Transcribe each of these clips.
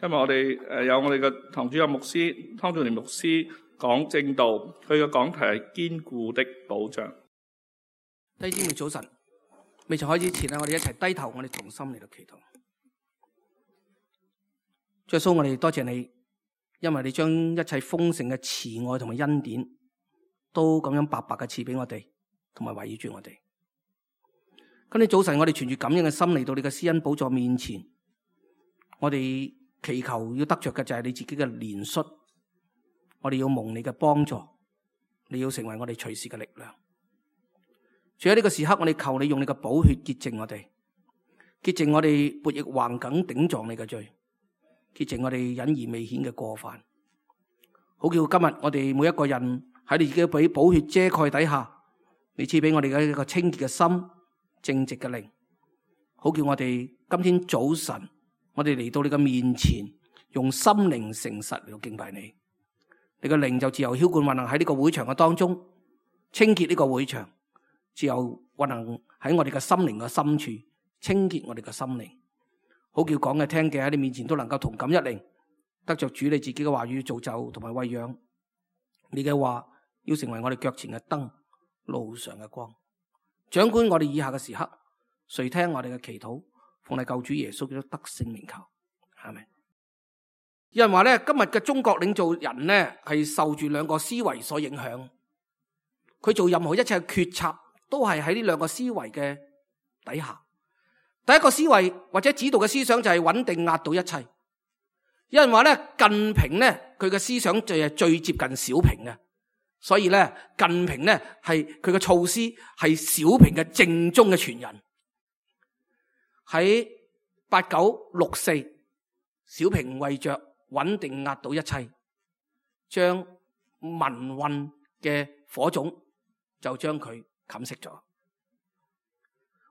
今日我哋有我哋嘅堂主任牧師湯俊年牧師講正道，佢嘅講題係堅固的保障。弟兄姊妹早晨，未曾開始前我哋一齊低頭，我哋同心嚟到祈禱。主耶穌，我哋多謝你，因為你將一切豐盛嘅慈愛同埋恩典都咁樣白白嘅賜俾我哋，同埋圍繞住我哋。今日早晨我哋存住感恩嘅心嚟到你嘅施恩寶座面前，我哋祈求要得着嘅就係你自己嘅憐恤，我哋要蒙你嘅幫助，你要成為我哋隨時嘅力量。主喺呢個時刻，我哋求你用你嘅寶血潔淨我哋，潔淨我哋悖逆橫梗頂撞你嘅罪，潔淨我哋隱而未顯嘅過犯，好叫今日我哋每一個人喺你自己俾寶血遮蓋底下，你賜俾我哋嘅一個清潔嘅心、正直嘅靈，好叫我哋今天早晨我哋嚟到你嘅面前，用心靈誠實嚟到敬拜你。你嘅靈就自由澆灌運行喺呢個會場嘅當中，清潔呢個會場，自由運行喺我哋嘅心靈嘅深處，清潔我哋嘅心靈，好叫講嘅聽嘅喺你面前都能夠同感一靈，得着主你自己嘅話語造就同埋餵養。你嘅話要成為我哋腳前嘅燈，路上嘅光，掌管我哋以下嘅時刻，垂聽我哋嘅祈禱，奉你救主耶穌基督得勝名求，阿們。有人話咧，今日嘅中國領導人咧係受住兩個思維所影響，佢做任何一切嘅決策都係喺呢兩個思維嘅底下。第一個思維或者指導嘅思想就係穩定壓倒一切。有人話咧，近平咧佢嘅思想就係最接近小平嘅，所以咧近平咧係佢嘅措施係小平嘅正宗嘅傳人。喺8964，小平為着穩定壓倒一切，將民運嘅火種就將佢冚熄咗。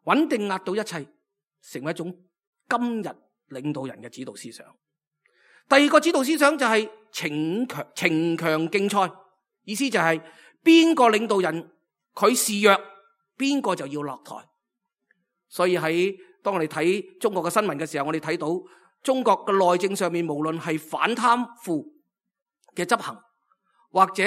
穩定壓倒一切成為一種今日領導人嘅指導思想。第二個指導思想就係逞強競賽，意思就係邊個領導人佢示弱，邊個就要落台。所以當我哋睇中國嘅新聞嘅時候，我哋睇到中國嘅內政上面，無論係反貪腐嘅執行，或者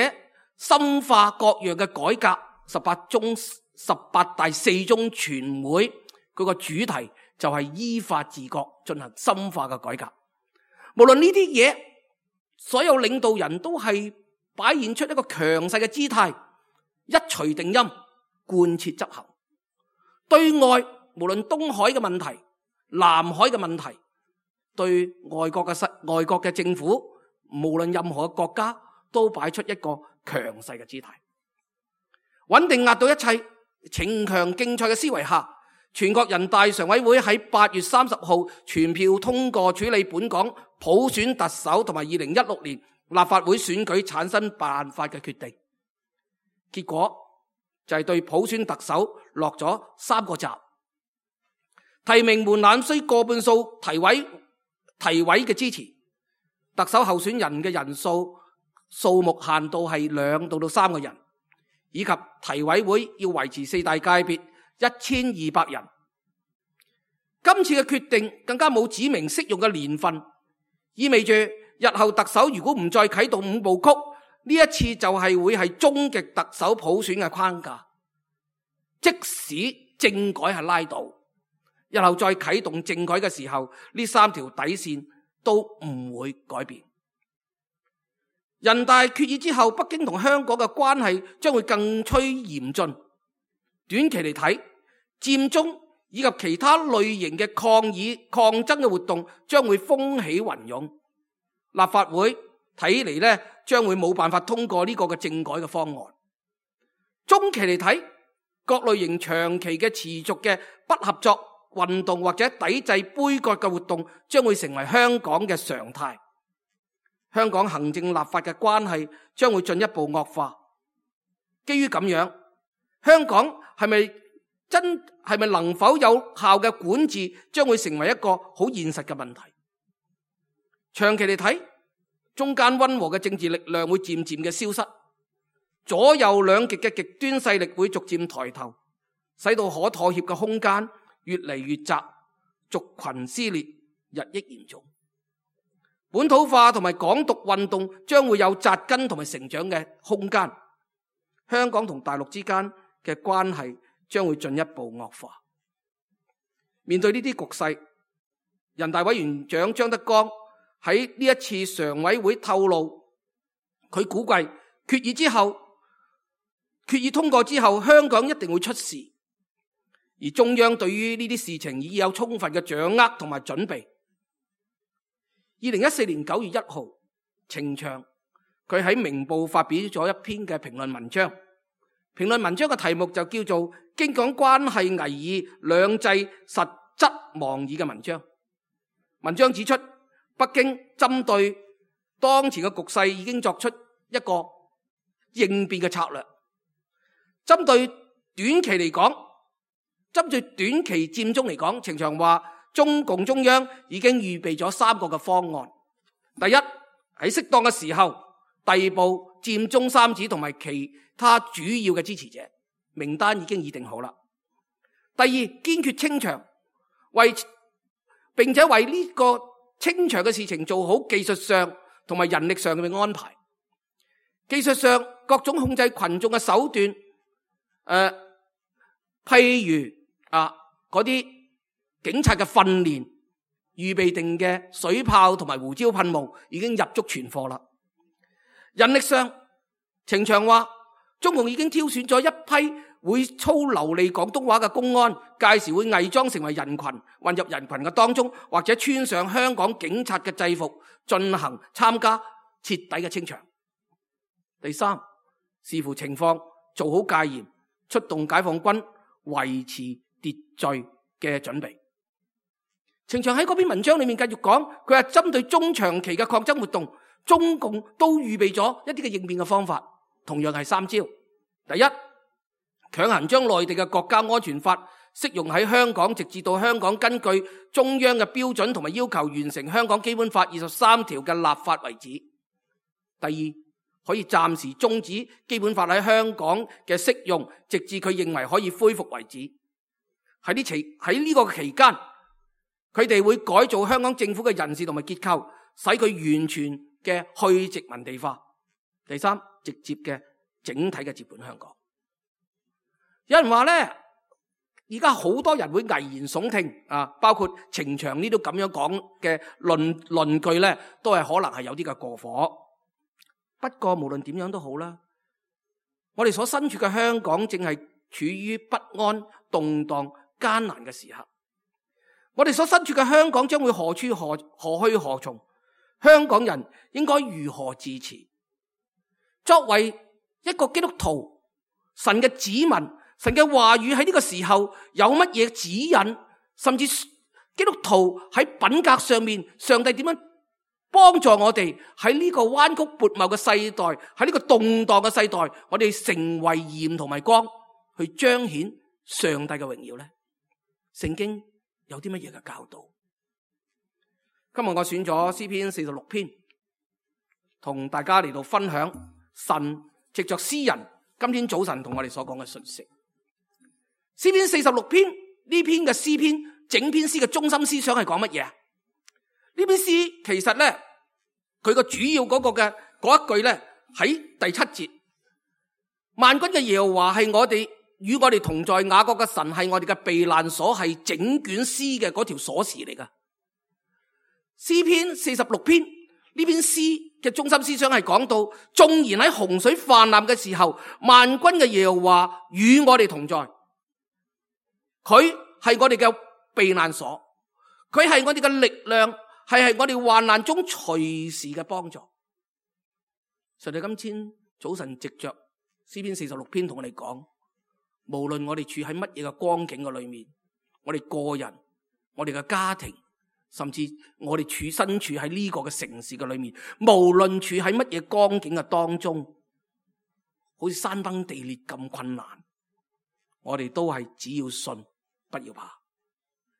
深化各樣嘅改革，18大4中全會佢個主題就係依法治國，進行深化嘅改革。無論呢啲嘢，所有領導人都係擺現出一個強勢嘅姿態，一錘定音，貫徹執行。對外無論東海嘅問題、南海嘅問題，對外國嘅政府，無論任何嘅國家，都擺出一個強勢嘅姿態。穩定壓倒一切、逞強競賽嘅思維下，全國人大常委會喺8月30號全票通過處理本港普選特首同埋2016年立法會選舉產生辦法嘅決定。結果就係對普選特首落咗3個閘。提名門檻需過半數提委嘅支持，特首候選人嘅人數目限度係2到3個人，以及提委會要維持4大界別1200人。今次嘅決定更加冇指明適用嘅年份，意味住日後特首如果唔再啟動5部曲，呢一次就係會係終極特首普選嘅框架。即使政改係拉倒，日後再啟動政改嘅時候，呢3條底線都唔會改變。人大決議之後，北京同香港嘅關係將會更趨嚴峻。短期嚟睇，佔中以及其他類型嘅抗議抗爭嘅活動將會風起雲湧。立法會睇嚟咧，將會冇辦法通過呢個嘅政改嘅方案。中期嚟睇，各類型長期嘅持續嘅不合作運動或者抵制杯葛嘅活動將會成為香港嘅常態。香港行政立法嘅關係將會進一步惡化。基於咁樣，香港係咪能否有效嘅管治，將會成為一個好現實嘅問題。長期嚟睇，中間溫和嘅政治力量會漸漸嘅消失，左右兩極嘅極端勢力會逐漸抬頭，使到可妥協嘅空間越嚟越窄，族群撕裂日益嚴重。本土化同埋港獨運動將會有扎根同埋成長嘅空間。香港同大陸之間嘅關係將會進一步惡化。面對呢啲局勢，人大委員長張德江喺呢一次常委會透露，佢估計決議通過之後，香港一定會出事，而中央對於呢啲事情已有充分嘅掌握同埋準備。2014年9月1號，程翔佢喺明報發表咗一篇嘅評論文章，評論文章嘅題目就叫做《京港關係危議，兩制實質妄議》嘅文章。文章指出，北京針對當前嘅局勢已經作出一個應變嘅策略。針對短期嚟講，針對短期佔中嚟講，程翔話中共中央已經預備咗3個嘅方案。第一，喺適當嘅時候逮捕佔中3子同埋其他主要嘅支持者，名單已經擬定好啦。第二，堅決清場，並且為呢個清場嘅事情做好技術上同埋人力上嘅安排。技術上各種控制群眾嘅手段，譬如嗰啲警察嘅訓練，預備定嘅水炮同埋胡椒噴霧已經入足存貨啦。人力上，程翔話中共已經挑選咗一批會操流利廣東話嘅公安，屆時會偽裝成為人群，混入人群嘅當中，或者穿上香港警察嘅制服，參加徹底嘅清場。第三，視乎情況做好戒嚴，出動解放軍維持秩序嘅準備。程翔喺嗰篇文章裏面繼續講，佢話針對中長期嘅抗爭活動，中共都預備咗一啲嘅應變嘅方法，同樣係3招。第一，強行將內地嘅國家安全法適用喺香港，直至到香港根據中央嘅標準同埋要求完成香港基本法23條嘅立法為止。第二，可以暫時終止基本法喺香港嘅適用，直至佢認為可以恢復為止。喺呢個期間，佢哋會改造香港政府嘅人事同埋結構，使佢完全嘅去殖民地化。第三，直接嘅整體嘅接盤香港。有人話呢，而家好多人會危言聳聽包括程翔呢都咁樣講嘅論據呢，都係可能係有啲嘅過火。不過無論點樣都好啦，我哋所身處嘅香港正係處於不安、動盪、艱難嘅時刻。我哋所身處嘅香港將會何去何從？香港人應該如何自持？作為一個基督徒，神嘅子民，神嘅話語喺呢個時候有乜嘢指引？甚至基督徒喺品格上面，上帝點樣幫助我哋喺呢個彎曲悖謬嘅世代，喺呢個動盪嘅世代，我哋成為鹽同埋光，去彰顯上帝嘅榮耀呢？聖經有啲乜嘢嘅教導？今日我選咗詩篇46篇，同大家嚟到分享神藉着詩人今天早晨同我哋所講嘅信息。詩篇46篇呢篇嘅詩篇，整篇詩嘅中心思想係講乜嘢？呢篇詩其實咧，佢個主要嗰個嘅嗰一句咧，喺第7節，萬軍嘅耶和華係我哋與我哋同在，雅各嘅神係我哋嘅避難所，係整卷詩嘅嗰條鎖匙嚟噶。詩篇46篇呢篇詩嘅中心思想係講到，縱然喺洪水泛濫嘅時候，萬軍嘅耶和華與我哋同在，佢係我哋嘅避難所，佢係我哋嘅力量，係我哋患難中隨時嘅幫助。上帝今天早晨藉着詩篇46篇同我哋講，無論我哋處喺乜嘢嘅光景嘅裏面，我哋個人、我哋嘅家庭，甚至我哋身處喺呢個嘅城市嘅裏面，無論處喺乜嘢光景嘅當中，好似山崩地裂咁困難，我哋都係只要信，不要怕，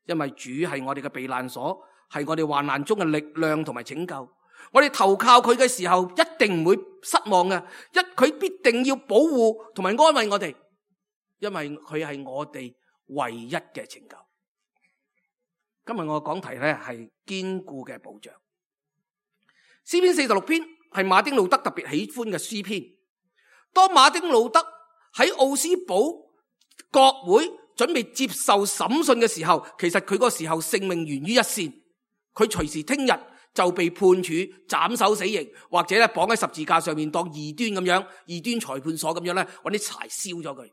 因為主係我哋嘅避難所，係我哋患難中嘅力量同埋拯救。我哋投靠佢嘅時候，一定唔會失望嘅，佢必定要保護同埋安慰我哋，因為佢係我哋唯一嘅拯救。今日我嘅講題咧係堅固嘅保障。詩篇46篇係馬丁路德特別喜歡嘅詩篇。當馬丁路德喺奧斯堡國會準備接受審訊嘅時候，其實佢嗰時候性命懸於一線，佢隨時聽日就被判處斬首死刑，或者咧綁喺十字架上面當異端咁樣，異端裁判所咁樣咧搵啲柴燒咗佢。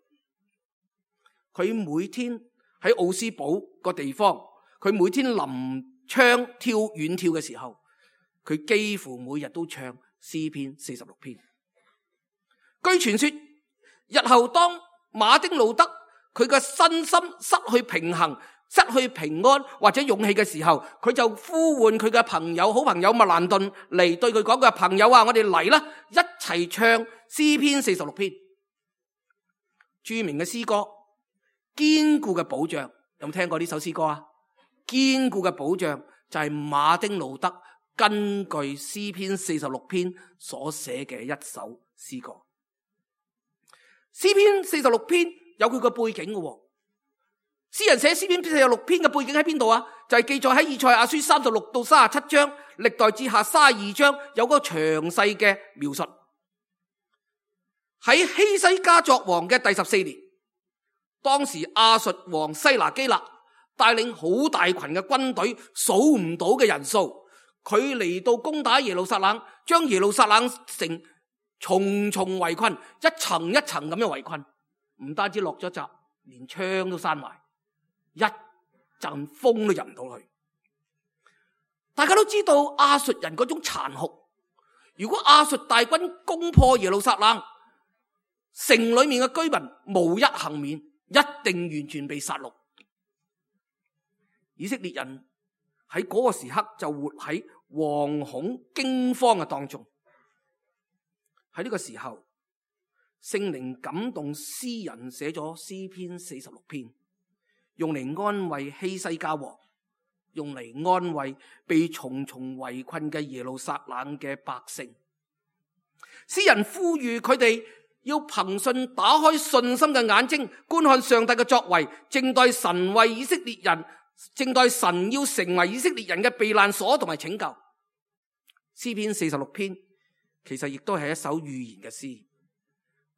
佢每天喺奧斯堡個地方，佢每天臨窗遠跳嘅時候，佢幾乎每日都唱詩篇46篇。據傳說，日後當馬丁路德佢嘅身心失去平衡、失去平安或者勇氣嘅時候，佢就呼喚佢嘅朋友、好朋友麥蘭頓嚟對佢講嘅，朋友啊，我哋嚟啦，一齊唱詩篇46篇。著名嘅詩歌《堅固嘅保障》，有冇聽過呢首詩歌啊？堅固嘅保障就係馬丁路德根據詩篇46篇所寫嘅一首詩歌。詩篇46篇有佢個背景嘅，詩人寫詩篇46篇嘅背景喺邊度啊？就係記載喺以賽亞書36到37章，歷代志下32章有嗰個詳細嘅描述。喺希西家作王嘅第14年，當時亞述王西拿基立帶領好大群嘅軍隊，數唔到嘅人數，佢嚟到攻打耶路撒冷，將耶路撒冷城重重圍困，一層一層咁樣圍困，唔單止落咗閘，連窗都閂埋，一陣風都入唔到去。大家都知道亞述人嗰種殘酷，如果亞述大軍攻破耶路撒冷，城裏面嘅居民無一幸免，一定完全被殺戮。以色列人喺嗰個時刻就活喺惶恐驚慌嘅當中。喺呢個時候，聖靈感動詩人寫咗詩篇46篇，用嚟安慰希西家王，用嚟安慰被重重圍困嘅耶路撒冷嘅百姓。詩人呼籲佢哋要憑信打開信心嘅眼睛，觀看上帝嘅作為，正待神為以色列人，正待神要成為以色列人嘅避難所同埋拯救。詩篇46篇其實亦都係一首預言嘅詩，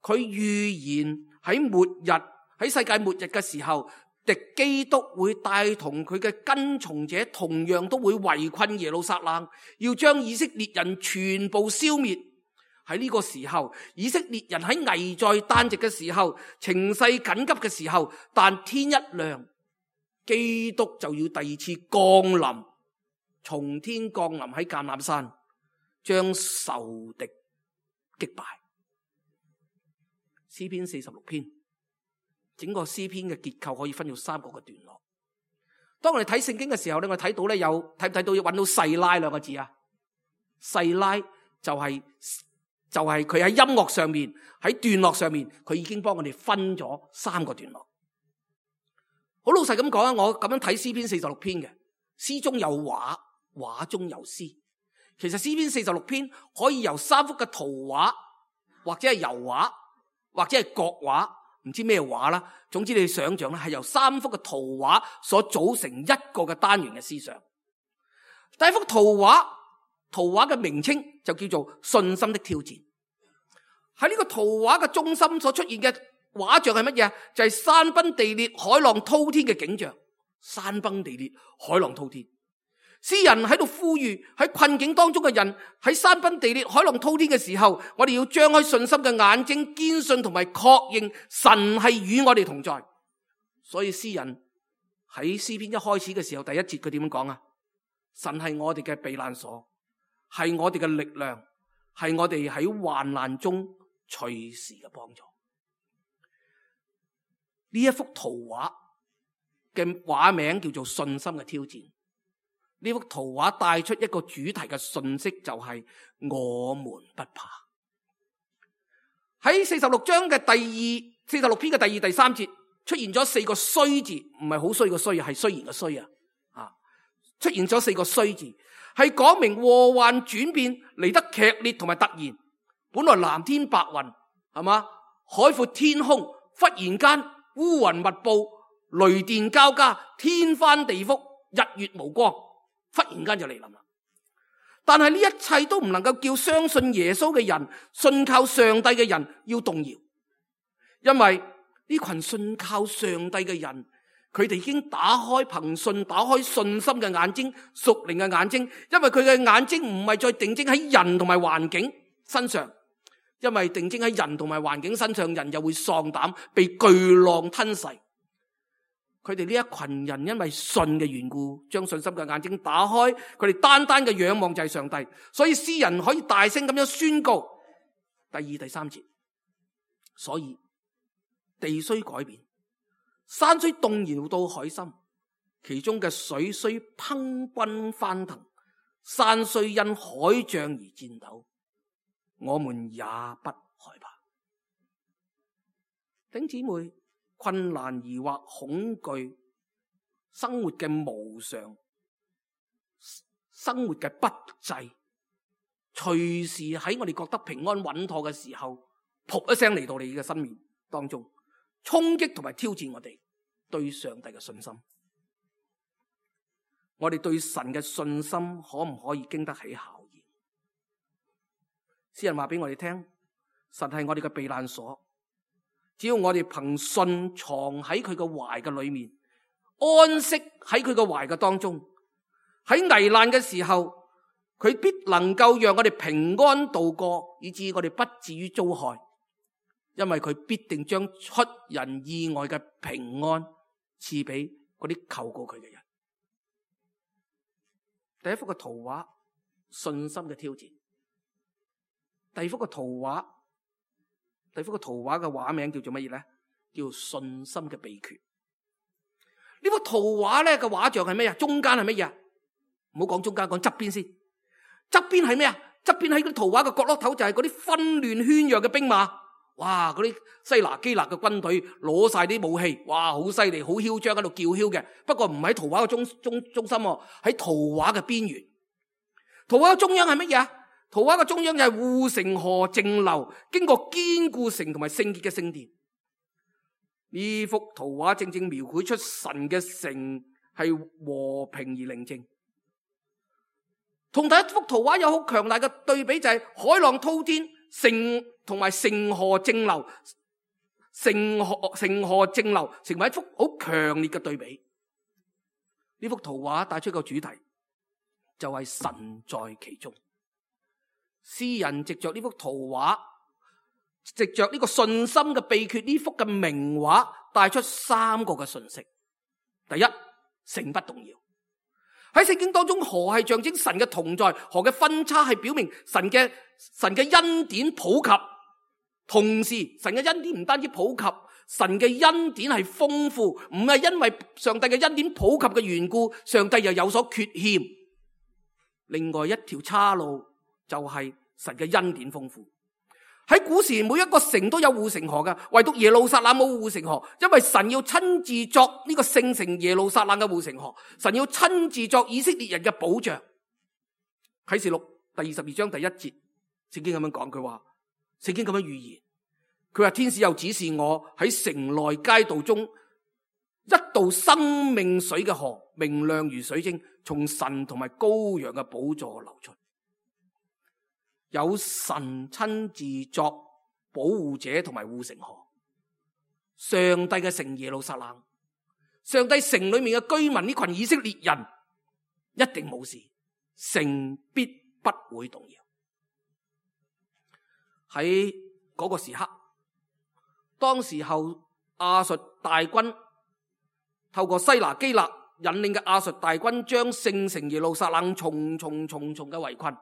佢預言喺末日，喺世界末日嘅時候，敵基督會帶同佢嘅跟從者同樣都會圍困耶路撒冷，要將以色列人全部消滅。喺呢個時候，以色列人喺危在旦夕嘅時候，情勢緊急嘅時候，但天一亮，基督就要第二次降臨，從天降臨喺橄欖山，將仇敵擊敗。詩篇46篇，整個詩篇嘅結構可以分到3個嘅段落。當我哋睇聖經嘅時候咧，我睇到咧，有睇唔睇到揾到細拉兩個字啊？細拉就係佢喺音樂上面，喺段落上面，佢已經幫我哋分咗3個段落。好老實咁講啊，我咁樣睇詩篇46篇嘅，詩中有畫，畫中有詩。其實詩篇46篇可以由3幅嘅圖畫，或者係油畫，或者係國畫，唔知咩畫啦。總之你想象咧，係由3幅嘅圖畫所組成一個嘅單元嘅思想。第一幅圖畫嘅名稱就叫做信心的挑戰。喺呢個圖畫嘅中心所出現嘅畫像係乜嘢？就係山崩地裂、海浪滔天嘅景象。山崩地裂、海浪滔天。詩人喺度呼籲喺困境當中嘅人，喺山崩地裂、海浪滔天嘅時候，我哋要張開信心嘅眼睛，堅信同埋確認神係與我哋同在。所以詩人喺詩篇一開始嘅時候，第1節佢點樣講啊？神係我哋嘅避難所，係我哋嘅力量，係我哋喺患難中隨時嘅幫助。呢一幅圖畫嘅畫名叫做信心嘅挑戰。呢幅圖畫帶出一個主題嘅信息，就係我們不怕。喺46章嘅46篇嘅第2、第3節出現咗4個衰字，唔係好衰嘅衰啊，係雖然嘅衰啊，出現咗4個衰字，係講明禍患轉變嚟得劇烈同埋突然。本來藍天白雲，係嘛，海闊天空，忽然間烏雲密布，雷電交加，天翻地覆，日月無光。忽然間就嚟臨啦！但係呢一切都唔能夠叫相信耶穌嘅人、信靠上帝嘅人要動搖，因為呢群信靠上帝嘅人，佢哋已經憑信打開信心嘅眼睛、屬靈嘅眼睛，因為佢嘅眼睛唔係再定睛喺人同埋環境身上，因為定睛喺人同埋環境身上，人又會喪膽，被巨浪吞噬。佢哋呢一群人因為信嘅緣故，將信心嘅眼睛打開，佢哋單單嘅仰望就係上帝，所以詩人可以大聲咁樣宣告第二、第三節。所以地雖改變，山雖動搖到海心，其中嘅水雖匉訇翻騰，山雖因海漲而顫抖，我們也不害怕。弟兄姊妹，困難疑惑恐懼，生活嘅無常，生活嘅不濟，隨時喺我哋覺得平安穩妥嘅時候，噗一聲嚟到你嘅生命當中，衝擊同埋挑戰我哋對上帝嘅信心。我哋對神嘅信心可唔可以經得起考驗？詩人話俾我哋聽，神係我哋嘅避難所。只要我哋憑信藏喺佢嘅懷嘅裏面，安息喺佢嘅懷嘅當中，喺危難嘅時候，佢必能夠讓我哋平安度過，以致我哋不至於遭害，因為佢必定將出人意外嘅平安賜俾嗰啲求過佢嘅人。第一幅嘅圖畫，信心嘅挑戰。第二幅嘅圖畫嘅畫名叫做乜嘢咧？叫信心嘅秘訣。呢幅圖畫咧嘅畫像係咩啊？中間係乜嘢？唔好講中間，講側邊先。側邊係咩啊？側邊喺個圖畫嘅角落頭就係嗰啲紛亂喧嚷嘅兵馬。哇！嗰啲西拿基立嘅軍隊攞晒啲武器，哇！好犀利，好囂張喺度叫囂嘅。不過唔喺圖畫嘅中心，喺圖畫嘅邊緣。圖畫嘅中央係乜嘢啊？圖畫嘅中央就係護城河靜流，經過堅固城同埋聖潔嘅聖殿。呢幅圖畫正正描繪出神嘅城係和平而寧靜。同第一幅圖畫有好強大嘅對比，就係海浪滔天，城同埋城河靜流，城河靜流成為一幅好強烈嘅對比。呢幅圖畫帶出個主題，就係神在其中。詩人藉着呢幅圖畫，藉着呢個信心嘅秘訣，呢幅嘅名畫帶出三個嘅信息。第一，城不動搖。喺聖經當中，河係象徵神嘅同在，河嘅分叉係表明神嘅恩典普及。同時，神嘅恩典唔單止普及，神嘅恩典係豐富，唔係因為上帝嘅恩典普及嘅緣故，上帝又有所缺欠。另外一條岔路就係神嘅恩典豐富。喺古時每一個城都有護城河嘅，唯獨耶路撒冷冇護城河，因為神要親自作呢個聖城耶路撒冷嘅護城河，神要親自作以色列人嘅保障。啟示錄第22章第1節，聖經咁樣講，佢話聖經咁樣預言，佢話天使又指示我喺城內街道中一道生命水嘅河，明亮如水晶，從神同埋羔羊嘅寶座流出。有神親自作保護者同埋護城河，上帝嘅城耶路撒冷，上帝城裏面嘅居民，呢群以色列人一定冇事，城必不會動搖。喺嗰個時刻，當時候亞述大軍透過西拿基立引領嘅亞述大軍，將聖城耶路撒冷重重嘅圍困。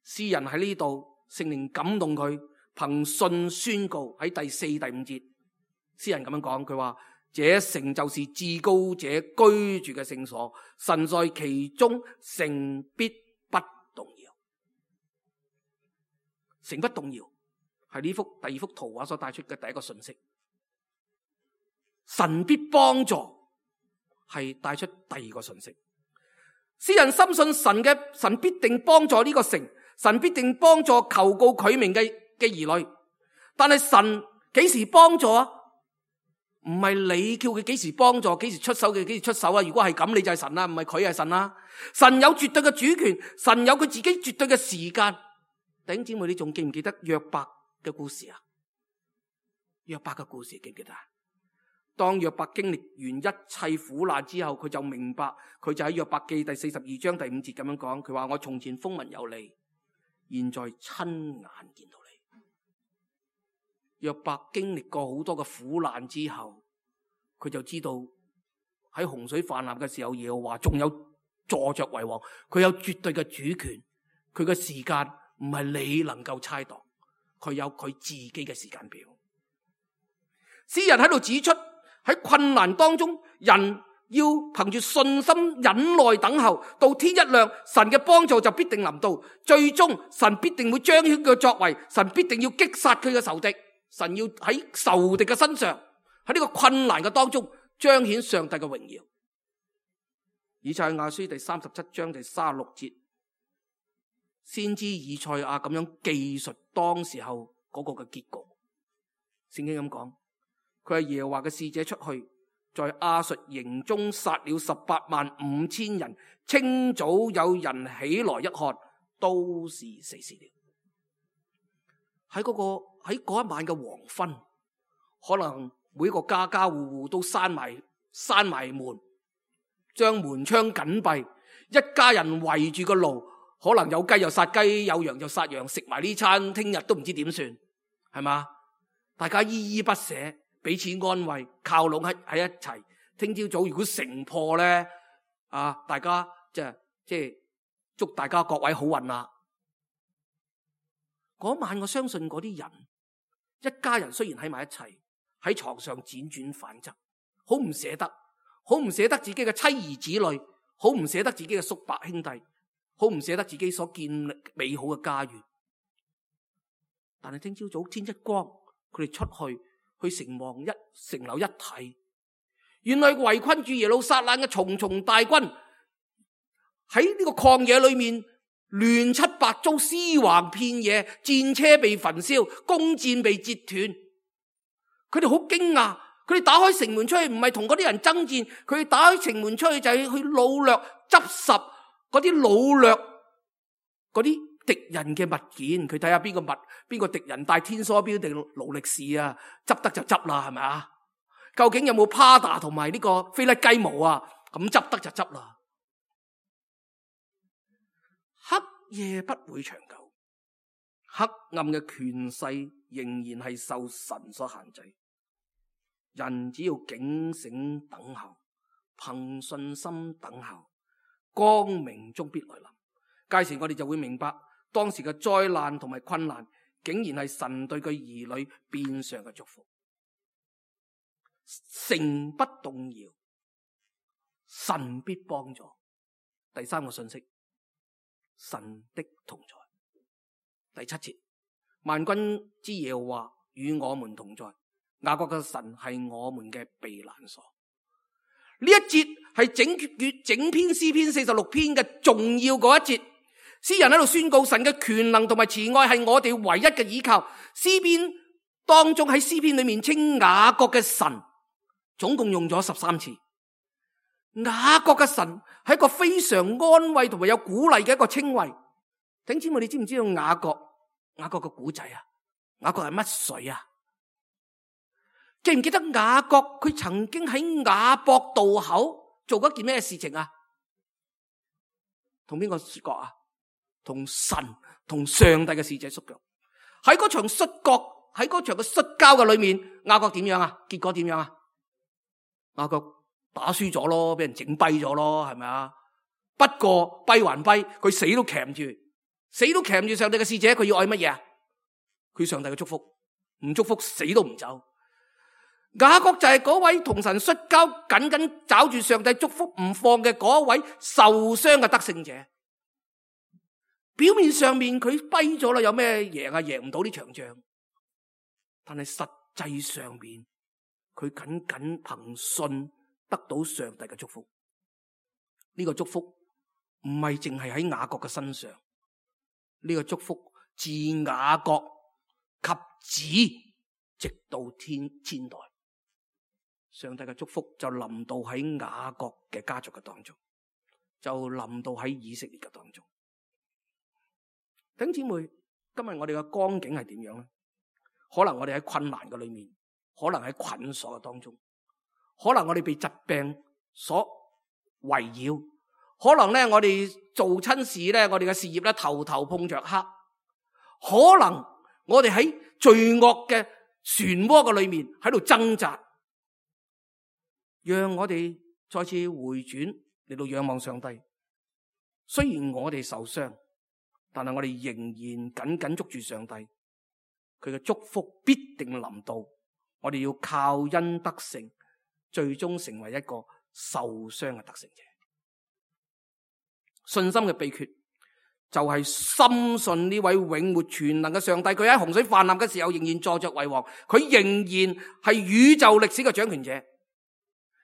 詩人喺呢度，聖靈感動佢，憑信宣告喺第4、第5節，詩人咁樣講，佢話：這城就是至高者居住嘅聖所，神在其中，城必不動搖。城不動搖係呢幅第二幅圖畫所帶出嘅第一個信息。神必幫助係帶出第二個信息。詩人深信神必定幫助呢個城。神必定幫助求告佢名嘅兒女，但係神幾時幫助啊？唔係你叫佢幾時幫助，幾時出手嘅幾時出手啊！如果係咁，你就係神啦，唔係佢係神啦。神有絕對嘅主權，神有佢自己絕對嘅時間。弟兄姊妹，你仲記唔記得約伯嘅故事啊？約伯嘅故事記唔記得啊？當約伯經歷完一切苦難之後，佢就明白，佢就喺約伯記第42章第5節咁樣講，佢話我從前風聞有你，現在親眼見到你。約伯經歷過好多嘅苦難之後，佢就知道喺洪水泛濫嘅時候，耶和華仲有坐着為王，佢有絕對嘅主權，佢嘅時間唔係你能夠猜度，佢有佢自己嘅時間表。詩人喺度指出，喺困難當中，人要憑住信心忍耐等候，到天一亮，神嘅幫助就必定臨到，最終神必定會彰顯佢嘅作為，神必定要擊殺佢嘅仇敵，神要喺仇敵嘅身上，喺呢個困難嘅當中彰顯上帝嘅榮耀。以賽亞書第37章第36節，先知以賽亞咁樣記述當時候嗰個嘅結局。聖經咁講，佢係耶和華嘅使者出去，在亞述營中殺了185000人，清早有人起來一看，都是死屍了。喺嗰一晚嘅黃昏，可能每個家家戶戶都閂埋門，將門窗緊閉，一家人圍住個爐，可能有雞又殺雞，有羊就殺羊，食埋呢餐，聽日都唔知點算，係嘛？大家依依不捨，彼此安慰，靠攏喺一齊。聽朝早如果城破咧，大家即係祝大家各位好運啦。嗰晚我相信嗰啲人，一家人雖然喺埋一齊，喺床上輾轉反側，好唔捨得，好唔捨得自己嘅妻兒子女，好唔捨得自己嘅叔伯兄弟，好唔捨得自己所建立美好嘅家園。但係聽朝早天一光，佢哋出去城樓一睇，原來圍困住耶路撒冷嘅重重大軍喺呢個曠野裏面亂七八糟，屍橫遍野，戰車被焚燒，弓箭被折斷。佢哋好驚訝，佢哋打開城門出去，唔係同嗰啲人爭戰，佢哋打開城門出去就係去擄掠執拾嗰啲擄掠嗰啲敵人嘅物件。佢睇下邊個敵人帶天梭標定勞力士啊，執得就執啦，係咪啊？究竟有冇 Prada 同埋呢個菲甩雞毛啊？咁執得就執啦。黑夜不會長久，黑暗嘅權勢仍然係受神所限制。人只要警醒等候，憑信心等候，光明終必來臨。屆時我哋就會明白，當時嘅災難同埋困難，竟然係神對佢兒女變相嘅祝福。城不動搖，神必幫助。第三個信息，神的同在。第7節，萬軍之耶和華與我們同在，雅各嘅神係我們嘅避難所。呢一節係整篇詩篇46篇嘅重要嗰一節。詩人喺度宣告神嘅權能同埋慈愛係我哋唯一嘅依靠。詩篇當中喺詩篇裏面稱雅各嘅神，總共用咗13次。雅各嘅神係一個非常安慰同埋有鼓勵嘅一個稱謂。弟兄姊妹，你知唔知道雅各嘅古仔啊？雅各係乜水啊？記唔記得雅各佢曾經喺雅博渡口做過一件咩事情啊？同邊個摔角啊？同神同上帝嘅使者摔角。喺嗰場摔角，喺嗰場嘅摔跤嘅裏面，雅各點樣啊？結果點樣啊？雅各打輸咗咯，俾人整跛咗咯，係咪啊？不過跛還跛，佢死都鉗住上帝嘅使者。佢要愛乜嘢啊？佢上帝嘅祝福，唔祝福死都唔走。雅各就係嗰位同神摔跤，緊緊抓住上帝祝福唔放嘅嗰位受傷嘅得勝者。表面上面佢跛咗啦，有咩贏啊？贏唔到呢場仗。但係實際上面，佢緊緊憑信得到上帝嘅祝福。呢個祝福唔係淨係喺雅各嘅身上，呢個祝福自雅各及子直到千代。上帝嘅祝福就臨到喺雅各嘅家族嘅當中，就臨到喺以色列嘅當中。弟兄姊妹，今日我哋嘅光景係點樣咧？可能我哋喺困難嘅裏面，可能喺捆鎖嘅當中，可能我哋被疾病所圍繞，可能咧我哋做親事咧，我哋嘅事業咧頭頭碰着黑，可能我哋喺罪惡嘅漩渦嘅裏面喺度掙扎。讓我哋再次回轉嚟到仰望上帝。雖然我哋受傷，但係我哋仍然緊緊捉住上帝，佢嘅祝福必定臨到。我哋要靠恩得勝，最終成為一個受傷嘅得勝者。信心嘅秘訣就係深信呢位永活全能嘅上帝，佢喺洪水泛濫嘅時候仍然坐着為王，佢仍然係宇宙歷史嘅掌權者。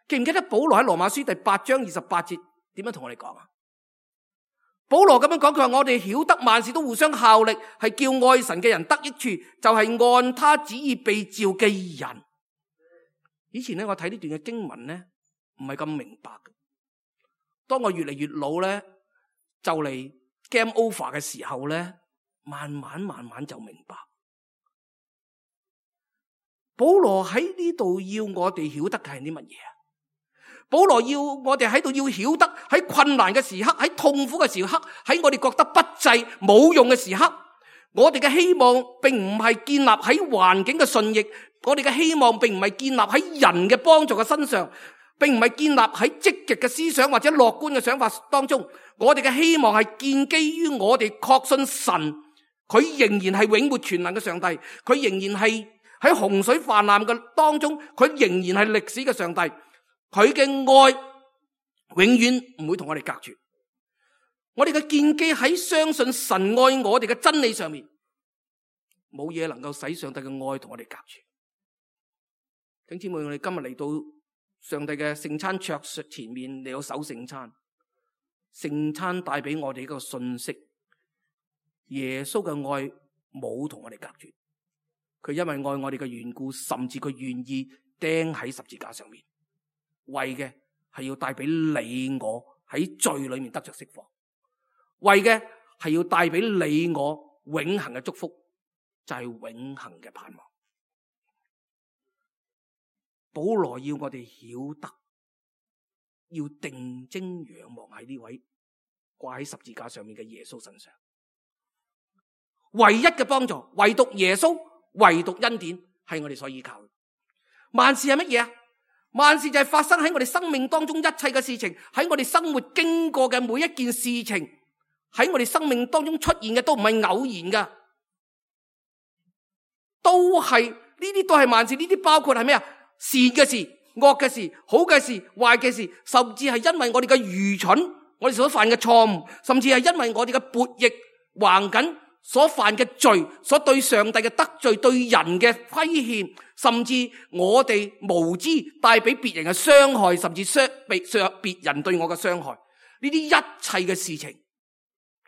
記唔記得保羅喺羅馬書第8章28節點樣同我哋講啊？保羅咁樣講，佢話我哋曉得萬事都互相效力，係叫愛神嘅人得益處，就係按他旨意被召嘅人。以前咧，我睇呢段嘅經文咧，唔係咁明白嘅。當我越嚟越老咧，就嚟 game over 嘅時候咧，慢慢就明白。保羅喺呢度要我哋曉得嘅係啲乜嘢啊？保羅要我哋喺度要曉得，喺困難嘅時刻，喺痛苦嘅時刻，喺我哋覺得不濟冇用嘅時刻，我哋嘅希望並唔係建立喺環境嘅順逆，我哋嘅希望並唔係建立喺人嘅幫助嘅身上，並唔係建立喺積極嘅思想或者樂觀嘅想法當中。我哋嘅希望係建基於我哋確信神，佢仍然係永活全能嘅上帝，佢仍然係喺洪水泛濫嘅當中，佢仍然係歷史嘅上帝。佢嘅愛永遠唔會同我哋隔絕，我哋嘅建基喺相信神愛我哋嘅真理上面，冇嘢能夠使上帝嘅愛同我哋隔絕。弟兄姊妹，我哋今日嚟到上帝嘅聖餐桌前面，嚟到守聖餐，聖餐帶俾我哋一個信息：耶穌嘅愛冇同我哋隔絕，佢因為愛我哋嘅緣故，甚至佢願意釘喺十字架上面。為嘅係要帶俾你我喺罪裏面得着釋放，為嘅係要帶俾你我永恆嘅祝福，就係永恆嘅盼望。保羅要我哋曉得，要定睛仰望喺呢位掛喺十字架上面嘅耶穌身上，唯一嘅幫助，唯獨耶穌，唯獨恩典係我哋所依靠嘅。萬事係乜嘢啊？萬事就係發生喺我哋生命當中一切嘅事情，喺我哋生活經過嘅每一件事情，喺我哋生命當中出現嘅都唔係偶然噶，都係呢啲都係萬事，呢啲包括係咩啊？善嘅事、惡嘅事、好嘅事、壞嘅事，甚至係因為我哋嘅愚蠢，我哋所犯嘅錯誤，甚至係因為我哋嘅悖逆橫緊所犯嘅罪，所對上帝嘅得罪，對人嘅虧欠，甚至我哋無知帶俾別人嘅傷害，甚至被別人對我嘅傷害，呢啲一切嘅事情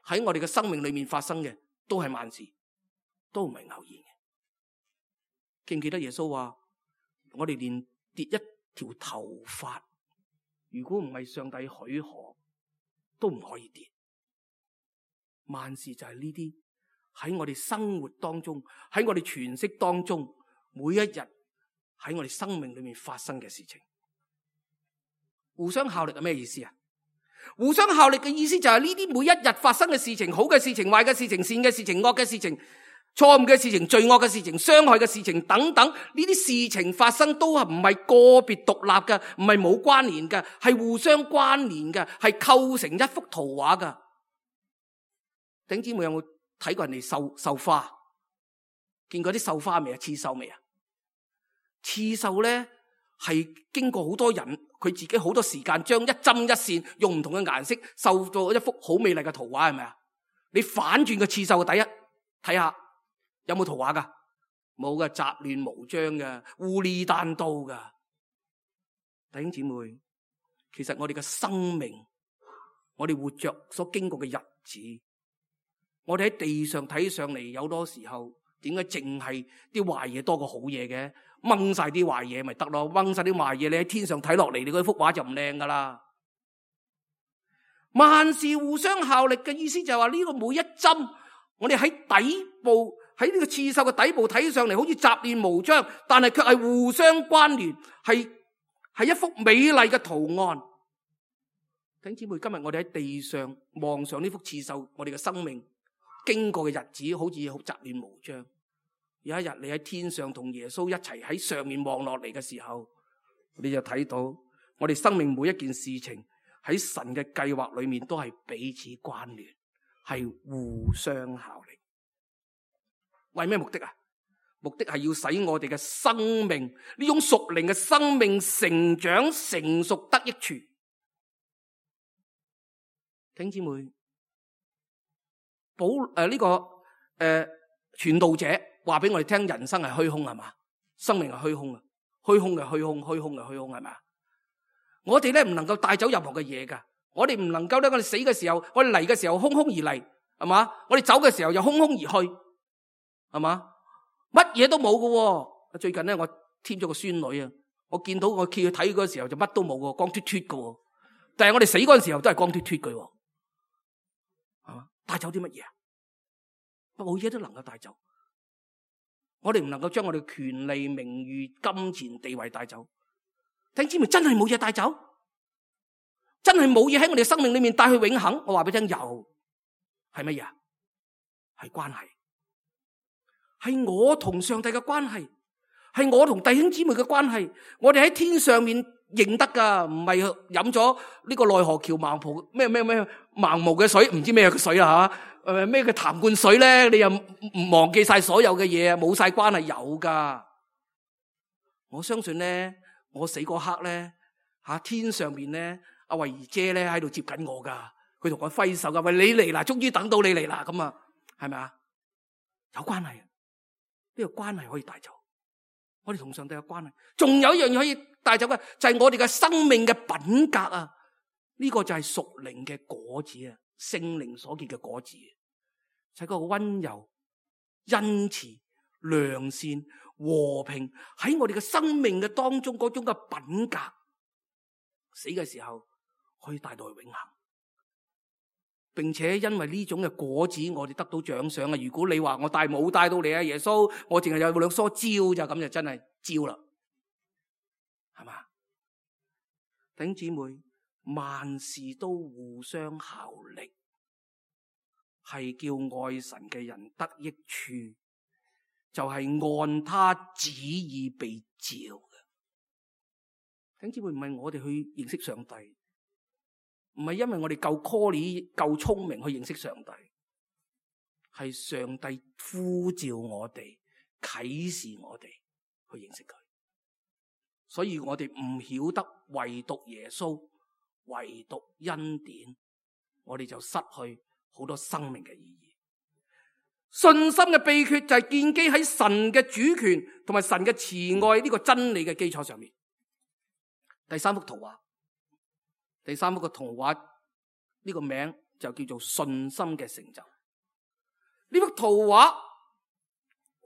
喺我哋嘅生命裏面發生嘅，都係萬事，都唔係偶然嘅。記唔記得耶穌話，我哋連跌一條頭髮，如果唔係上帝許可，都唔可以跌。萬事就係呢啲喺我哋生活當中，喺我哋詮釋當中，每一日喺我哋生命裏面發生嘅事情。互相效力係咩意思啊？互相效力嘅意思就係呢啲每一日發生嘅事情，好嘅事情、壞嘅事情、善嘅事情、惡嘅事情、錯誤嘅事情、罪惡嘅事情、傷害嘅事情等等，呢啲事情發生都係唔係個別獨立嘅，唔係冇關聯嘅，係互相關聯嘅，係構成一幅圖畫嘅。弟兄姊妹有冇睇過人哋繡花？見過啲繡花未啊？刺繡未啊？刺繡咧係經過好多人，佢自己好多時間將一針一線用唔同嘅顏色繡到一幅好美麗嘅圖畫，係咪啊？你反轉個刺繡嘅第一睇下有冇圖畫噶？冇嘅，雜亂無章嘅，烏里單刀嘅。弟兄姊妹，其實我哋嘅生命，我哋活着所經過嘅日子，我哋喺地上睇上嚟，有多時候點解淨係啲壞嘢多過好嘢嘅？掹晒啲壞嘢咪得咯，掹晒啲壞嘢，你喺天上睇落嚟，你嗰幅畫就唔靚噶啦。萬事互相效力嘅意思就係話呢個每一針，我哋喺底部，喺呢個刺繡嘅底部睇上嚟好似雜亂無章，但係卻係互相關聯，係一幅美麗嘅圖案。弟兄姊妹，今日我哋喺地上望上呢幅刺繡，我哋嘅生命經過嘅日子好似好雜亂無章。有一日你喺天上同耶穌一齊喺上面望落嚟嘅時候，你就睇到我哋生命每一件事情喺神嘅計劃裏面都係彼此關聯，係互相效力。為咩目的啊？目的係要使我哋嘅生命，呢種屬靈嘅生命成長成熟得益處。弟兄姊妹，傳道者話俾我哋聽，人生係虛空係嘛？生命係虛空啊，虛空嘅虛空，虛空嘅虛空係嘛？我哋咧唔能夠帶走任何嘅嘢噶，我哋唔能夠咧，我哋死嘅時候，我哋嚟嘅時候空空而嚟，係嘛？我哋走嘅時候又空空而去，係嘛？乜嘢都冇噶。最近咧，我添咗個孫女啊，我見到我企去睇嗰時候就乜都冇噶，光脫脫噶。但係我哋死嗰陣時候都係光脫脫嘅，係嘛？帶走啲乜嘢啊？冇嘢都能夠帶走。我哋唔能夠將我哋嘅權利、名譽、金錢、地位帶走。弟兄姊妹，真係冇嘢帶走，真係冇嘢喺我哋生命裏面帶去永恆。我話俾你聽，有係乜嘢啊？係關係，係我同上帝嘅關係，係我同弟兄姊妹嘅關係。我哋喺天上面認得噶，唔係飲咗呢個奈何橋盲蒲咩盲毛嘅水，唔知咩嘅水啦吓，咩嘅痰罐水咧？你又唔忘記晒所有嘅嘢，冇晒關係，有噶。我相信咧，我死嗰刻咧，天上面咧，阿慧兒姐咧喺度接緊我噶，佢同我揮手噶，喂，你嚟啦，終於等到你嚟啦，咁啊，係咪啊？有關係，呢個關係可以帶走。我哋同上帝嘅關係，仲有一樣嘢可以帶走嘅，就係我哋嘅生命嘅品格啊！呢個就係屬靈嘅果子啊，聖靈所結嘅果子，就係嗰個溫柔、恩慈、良善、和平喺我哋嘅生命嘅當中嗰種嘅品格，死嘅時候可以帶到去永恆，並且因為呢種嘅果子，我哋得到獎賞啊！如果你話我冇帶到你啊，耶穌，我淨係有兩梳蕉咋，咁就真係蕉啦，係嘛？弟兄姊妹，萬事都互相效力，係叫愛神嘅人得益處，就係按他旨意被召嘅。弟兄姊妹，唔係我哋去認識上帝，唔係因為我哋夠 call 夠聰明去認識上帝，係上帝呼召我哋，啟示我哋去認識佢。所以我哋唔曉得唯獨耶穌，唯獨恩典，我哋就失去好多生命嘅意義。信心嘅秘訣就係建基喺神嘅主權同埋神嘅慈愛呢個真理嘅基礎上面。第三幅圖畫，第三幅嘅圖畫呢個名就叫做信心嘅成就。呢幅圖畫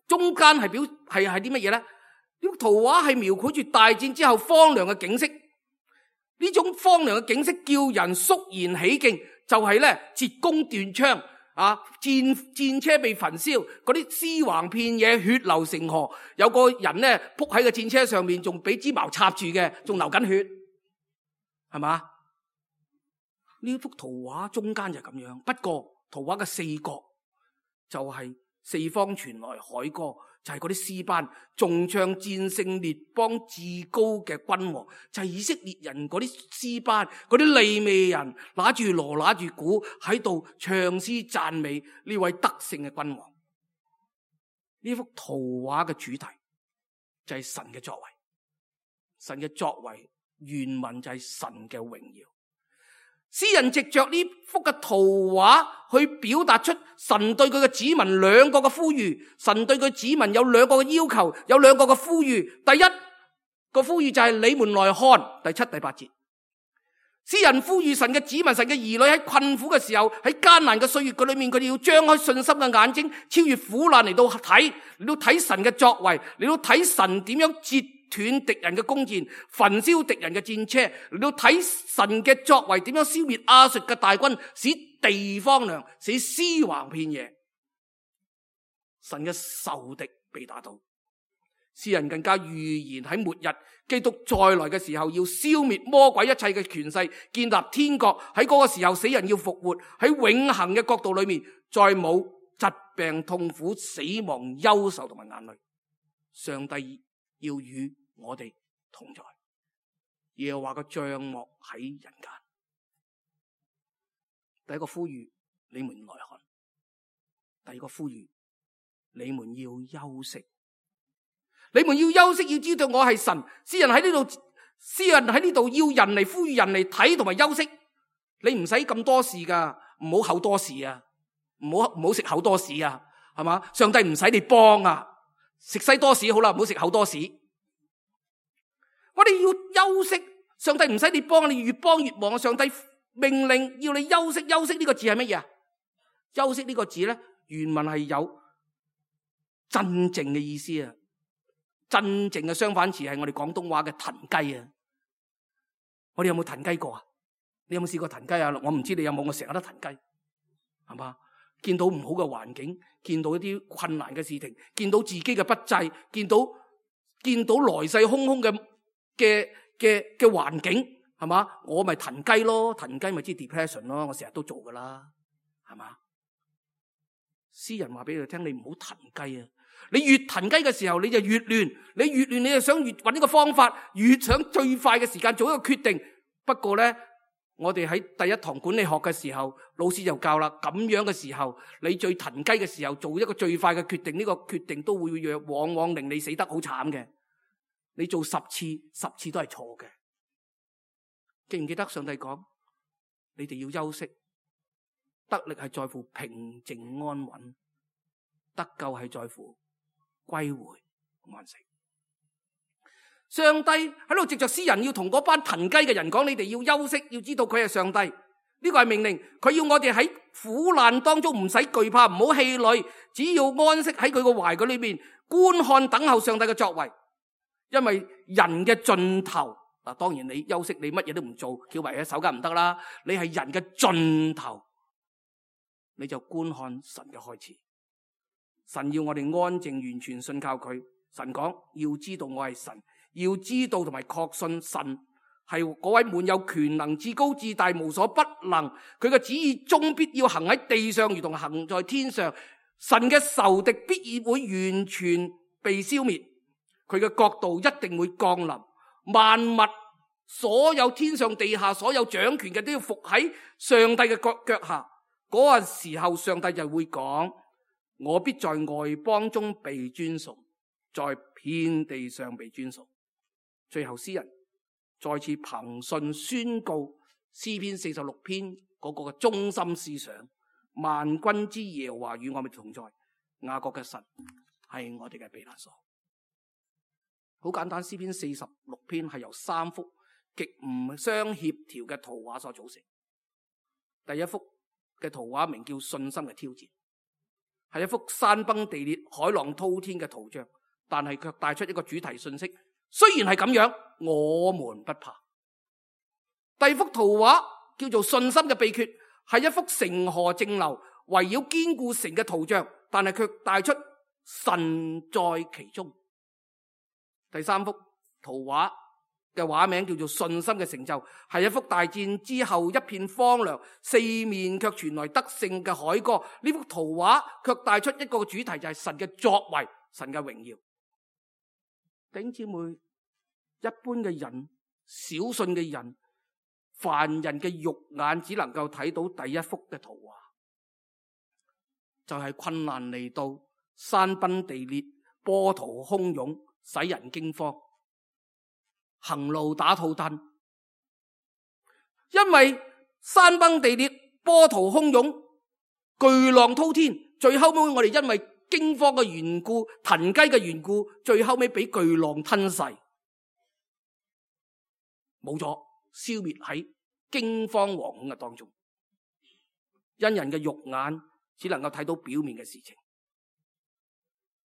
中間係啲乜嘢咧？呢幅圖畫係描繪住大戰之後荒涼嘅景色。呢種荒涼嘅景色叫人肅然起敬，就係咧折弓斷槍啊，戰車被焚燒，嗰啲屍橫遍野，血流成河，有個人咧仆喺個戰車上面，仲俾支矛插住嘅，仲流緊血，係嘛？呢幅圖畫中間就係咁樣，不過圖畫嘅四角就係四方傳來凱歌，就係嗰啲詩班重唱戰勝列邦至高嘅君王，就係以色列人嗰啲詩班，嗰啲利未人拿住鑼拿住鼓喺度唱詩讚美呢位得勝嘅君王。呢幅圖畫嘅主題就係神嘅作為，神嘅作為原文就係神嘅榮耀。詩人藉着呢幅嘅圖畫去表達出神對佢嘅子民兩個嘅呼籲，神對佢子民有兩個嘅要求，有兩個嘅呼籲。第一個呼籲就係你們來看，第7、第8節。詩人呼籲神嘅子民、神嘅兒女喺困苦嘅時候，喺艱難嘅歲月裏面，佢哋要張開信心嘅眼睛，超越苦難嚟到睇神嘅作為，嚟到睇神點樣截斷敵人嘅弓箭，焚燒敵人嘅戰車，嚟到睇神嘅作為點樣消滅亞述嘅大軍，使地荒涼，使屍橫遍野，神嘅仇敵被打倒。詩人更加預言喺末日基督再來嘅時候，要消滅魔鬼一切嘅權勢，建立天國。喺嗰個時候，死人要復活，喺永恆嘅國度裏面，再冇疾病、痛苦、死亡、憂愁同埋眼淚。上帝要與我哋同在，耶和華嘅帳幕喺人間。第一個呼籲，你們來看；第二個呼籲，你們要休息。你們要休息，要知道我係神。詩人喺呢度要人嚟呼籲人嚟睇同埋休息。你唔使咁多事噶，唔好口多事啊，唔好食口多士啊，係嘛？上帝唔使你幫啊，食西多士好啦，唔好食口多士。我哋要休息，上帝唔使你幫，你越幫越忙。上帝命令要你休息，休息呢個字係乜嘢啊？休息呢個字咧，原文係有鎮靜嘅意思啊。真正嘅相反詞係我哋廣東話嘅騰雞啊！我哋有冇騰雞過啊？你有冇試過騰雞啊？我唔知你有冇，我成日都騰雞，係嘛？見到唔好嘅環境，見到一啲困難嘅事情，見到自己嘅不濟，見到來勢洶洶嘅環境，係嘛？我咪騰雞咯，騰雞咪知 depression 咯，我成日都做噶啦，係嘛？詩人話俾佢聽，你唔好騰雞啊！你越騰雞嘅時候，你就越亂，你越亂，你就想越揾呢個方法，越想最快嘅時間做一個決定。不過咧，我哋喺第一堂管理學嘅時候，老師就教啦，咁樣嘅時候，你最騰雞嘅時候，做一個最快嘅決定，呢個決定都會往往令你死得好慘嘅。你做10次，10次都係錯嘅。記唔記得上帝講，你哋要休息，得力係在乎平靜安穩，得救係在乎歸回安息。上帝喺度藉着詩人要同嗰班騰雞嘅人講，你哋要休息，要知道佢係上帝，呢個係命令。佢要我哋喺苦難當中唔使懼怕，唔好氣餒，只要安息喺佢個懷裏面觀看等候上帝嘅作為。因為人嘅盡頭，嗱，當然你休息，你乜嘢都唔做，翹埋喺手梗唔得啦。你係人嘅盡頭，你就觀看神嘅開始。神要我哋安靜完全信靠佢。神講，要知道我係神，要知道同埋確信神係嗰位滿有權能、至高至大、無所不能。佢嘅旨意終必要行喺地上，如同行在天上。神嘅仇敵必會完全被消滅，佢嘅國度一定會降臨。萬物，所有天上地下所有掌權嘅都要服喺上帝嘅腳下。嗰個時候，上帝就會講，我必在外邦中被尊崇，在遍地上被尊崇。最後詩人再次憑信宣告詩篇46篇嗰個嘅中心思想，萬軍之耶和華與我哋同在，雅各嘅神係我哋嘅避難所。好簡單，詩篇46篇係由3幅極唔相協調嘅圖畫所組成。第一幅嘅圖畫名叫信心嘅挑戰，係一幅山崩地裂、海浪滔天嘅圖像，但係卻帶出一個主題信息。雖然係咁樣，我們不怕。第二幅圖畫叫做信心嘅秘訣，係一幅城河靜流圍繞堅固城嘅圖像，但係卻帶出神在其中。第三幅圖畫嘅畫名叫做信心嘅成就，係一幅大戰之後一片荒涼，四面卻傳來得勝嘅凱歌。呢幅圖畫卻帶出一個主題，就係神嘅作為，神嘅榮耀。弟兄姊妹，一般嘅人、小信嘅人、凡人嘅肉眼只能夠睇到第一幅嘅圖畫，就係困難嚟到，山崩地裂，波濤洶湧，使人驚慌，行路打肚燈。因為山崩地裂，波濤洶湧，巨浪滔天，最後尾我哋因為驚慌嘅緣故、騰雞嘅緣故，最後尾俾巨浪吞噬，冇咗，消滅喺驚慌惶恐嘅當中，因人嘅肉眼只能夠睇到表面嘅事情。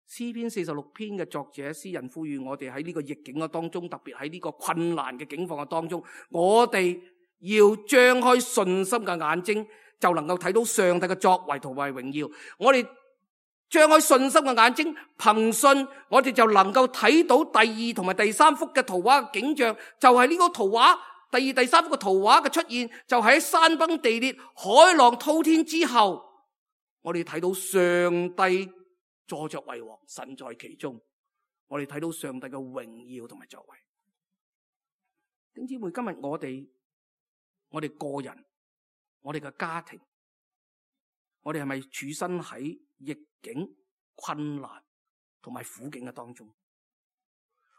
詩篇46篇嘅作者詩人呼籲我哋喺呢個逆境嘅當中，特別喺呢個困難嘅境況嘅當中，我哋要張開信心嘅眼睛，就能夠睇到上帝嘅作為同埋榮耀。我哋張開信心嘅眼睛，憑信我哋就能夠睇到第2同埋第3幅嘅圖畫嘅景象，就係呢個圖畫第2、第3幅嘅圖畫嘅出現，就喺山崩地裂、海浪滔天之後，我哋睇到上帝坐着為王，神在其中。我哋睇到上帝嘅榮耀同埋作為。弟兄姊妹，今日我哋個人，我哋嘅家庭，我哋係咪處身喺逆境、困難同埋苦境嘅當中？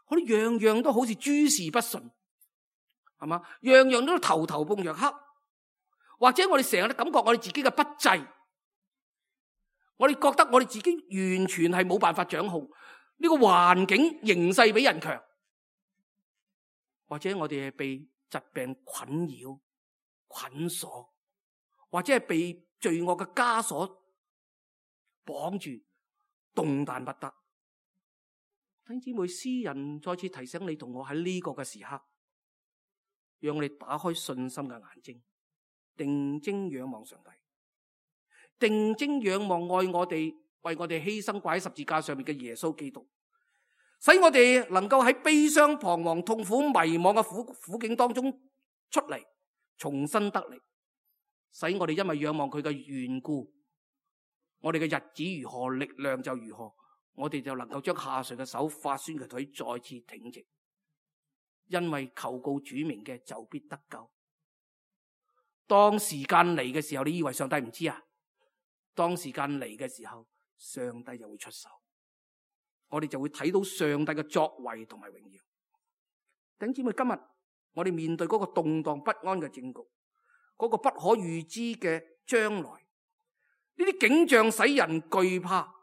我哋樣樣都好似諸事不順，係嘛？樣樣都頭頭碰着黑，或者我哋成日都感覺我哋自己嘅不濟，我哋覺得我哋自己完全係冇辦法掌控呢個環境形勢比人強，或者我哋係被疾病困擾、捆鎖，或者係被罪惡嘅枷鎖綁住，動彈不得。弟兄姊妹，詩人再次提醒你同我喺呢個嘅時刻，讓我哋打開信心嘅眼睛，定睛仰望上帝，定睛仰望愛我哋、為我哋犧牲掛喺十字架上面嘅耶穌基督，使我哋能夠喺悲傷、彷徨、痛苦、迷惘嘅苦境當中出嚟，重新得力，使我哋因為仰望佢嘅緣故，我哋嘅日子如何，力量就如何，我哋就能夠將下垂嘅手、發酸嘅腿再次挺直，因為求告主名嘅就必得救。當時間嚟嘅時候，你以為上帝唔知啊？當時間嚟嘅時候，上帝就會出手，我哋就會睇到上帝嘅作為同埋榮耀。弟兄姊妹，今日我哋面對嗰個動盪不安嘅政局，嗰個不可預知嘅將來，呢啲景象使人懼怕。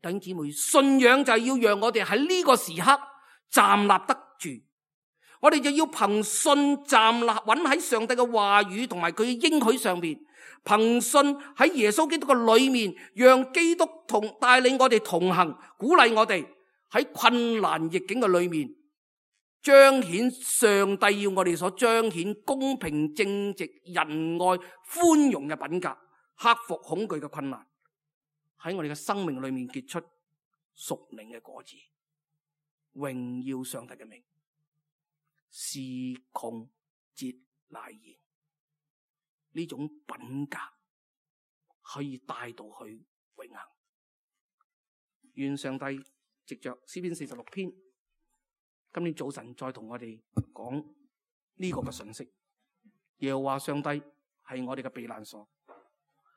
弟兄姊妹，信仰就係要讓我哋喺呢個時刻站立得住，我哋就要憑信站立穩喺上帝嘅話語同埋佢嘅應許上面，憑信喺耶穌基督嘅裏面，讓基督帶領我哋同行，鼓勵我哋喺困難逆境嘅裏面彰顯上帝要我哋所彰顯公平正直仁愛寬容嘅品格，克服恐懼嘅困難，喺我哋嘅生命裏面結出屬靈嘅果子，榮耀上帝嘅名。時窮節乃現，呢種品格可以帶到去永恆。願上帝藉着詩篇46篇，今天早晨再同我哋講呢個嘅信息。耶和華上帝係我哋嘅避難所，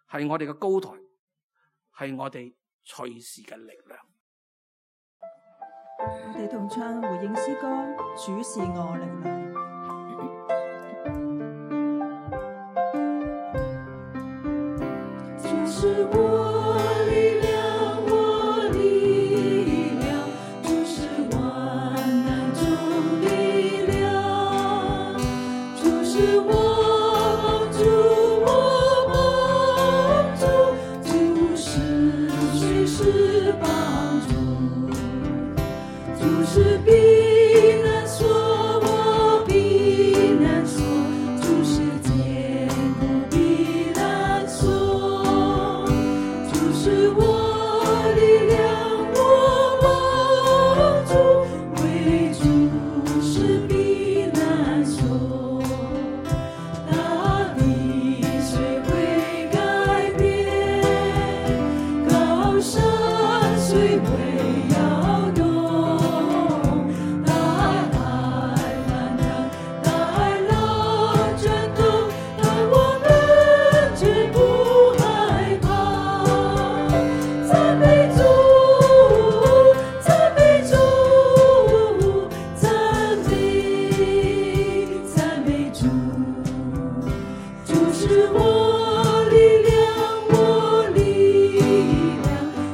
係我哋嘅高台，係我哋隨時嘅力量。我哋同唱回應詩歌，主是我力量。主是我力量，我力量，主是萬難中力量，主是我主，我主，主是隨時幫助，主是避難所，我避難所，主是堅固避難所，主是我力量，我主，為主是避難所，大地雖會改變，高山雖會搖動，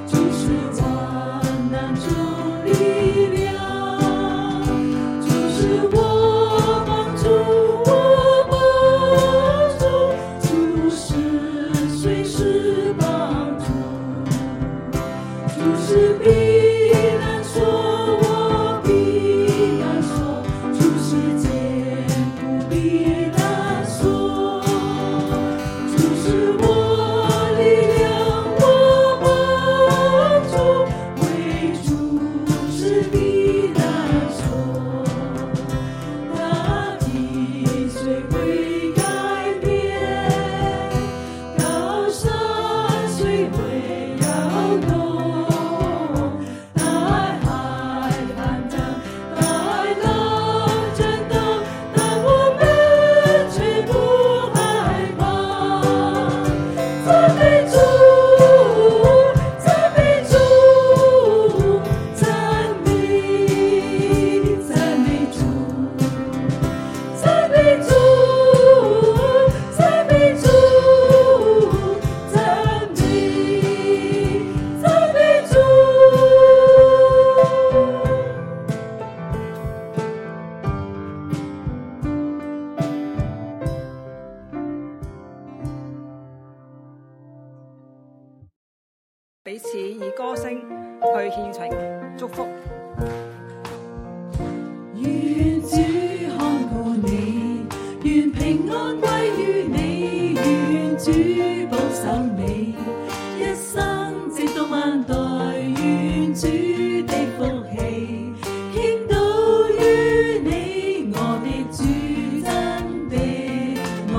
主事必然说，我必然说，主是坚固必然说，主是我力量，我帮助，为主是必然说，大地虽会改变，高山虽会摇动，大海翻腾，大浪震动，但我们却不害怕。赞美主，赞美主，赞美赞美主，赞美主，赞美主，赞美主。彼此以歌聲去獻情祝福。願主看顧你，願平安歸於你，願主保守你，一生直到萬代，願主的福氣傾倒於你，我的主真的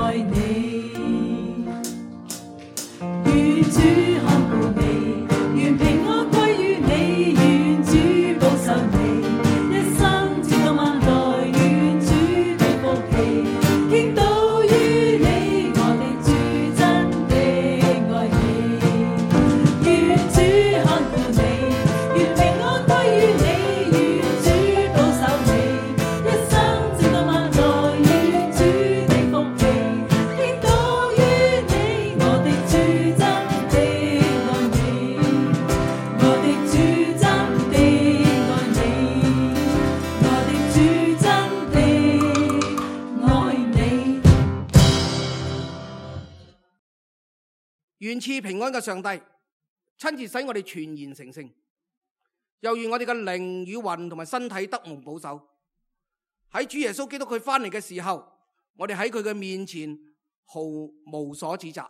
愛你。願主看顧你，願平安歸於你，願主保守你，一生直到萬代，願主的福氣傾倒於你，我的主真的愛你。願主看顧你，願平安歸於你，願主保守你，一生直到萬代，願主的福氣傾倒於你，我的主真的愛你，我的主真的愛你，我的主真的愛你。願賜平安嘅上帝親自使我哋全然成聖，又願我哋嘅靈與魂同埋身體得蒙保守。喺主耶穌基督佢翻嚟嘅時候，我哋喺佢嘅面前毫無所指責。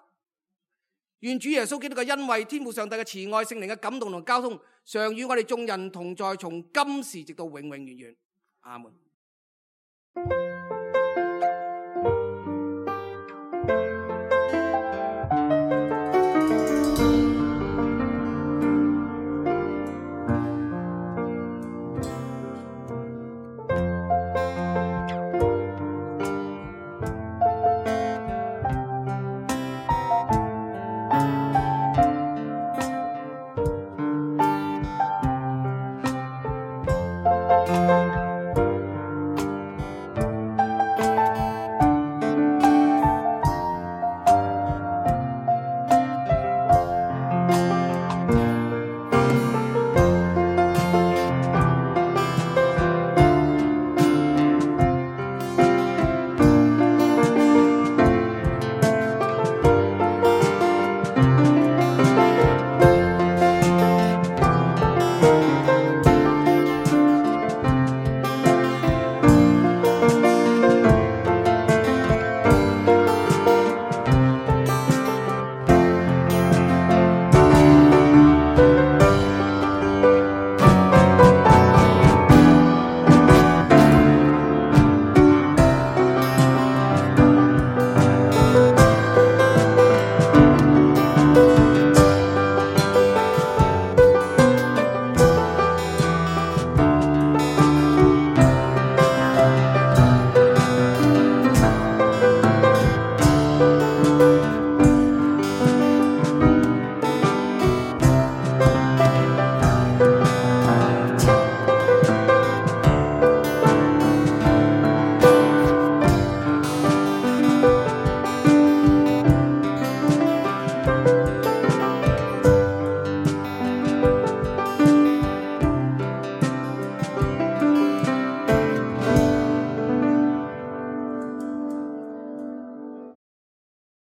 願主耶穌基督嘅恩惠、天父上帝嘅慈愛、聖靈嘅感動同交通，常與我哋眾人同在，從今時直到永永遠遠。阿門。